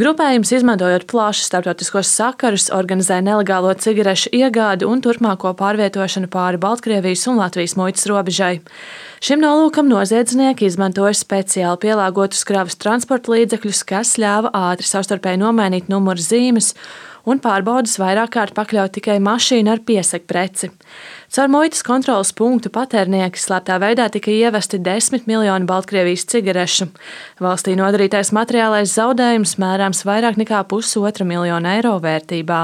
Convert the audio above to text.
Grupējums, izmantojot plašus starptautiskos sakarus, organizē nelegālo cigarešu iegādi un turpmāko pārvietošanu pāri Baltkrievijas un Latvijas muitas robežai. Šim nolūkam noziedznieki izmantoja speciāli pielāgotus kravas transporta līdzekļus, kas ļāva ātri savstarpēji nomainīt numuru zīmes un pārbaudes vairāk kārt pakļaut tikai mašīnu ar piesegpreci. Caur muitas kontroles punktu patērnieki slēptā veidā tika ievesti 10 miljoni Baltkrievijas cigarešu. Valstī nodarītais materiālais zaudējums mērāms vairāk nekā 1,5 miljonu eiro vērtībā.